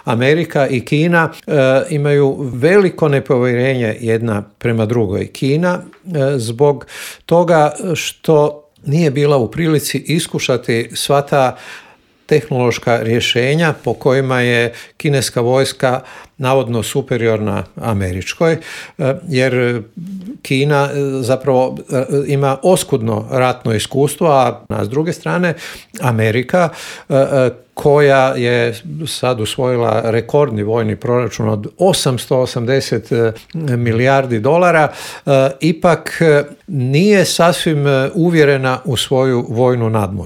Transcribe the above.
Amerika i Kina imaju veliko nepovjerenje jedna prema drugoj. Kina zbog toga što nije bila u prilici iskušati sva ta tehnološka rješenja po kojima je kineska vojska navodno superiorna američkoj, jer Kina zapravo ima oskudno ratno iskustvo, a s druge strane Amerika koja je sad usvojila rekordni vojni proračun od 880 milijardi dolara, ipak nije sasvim uvjerena u svoju vojnu nadmoć.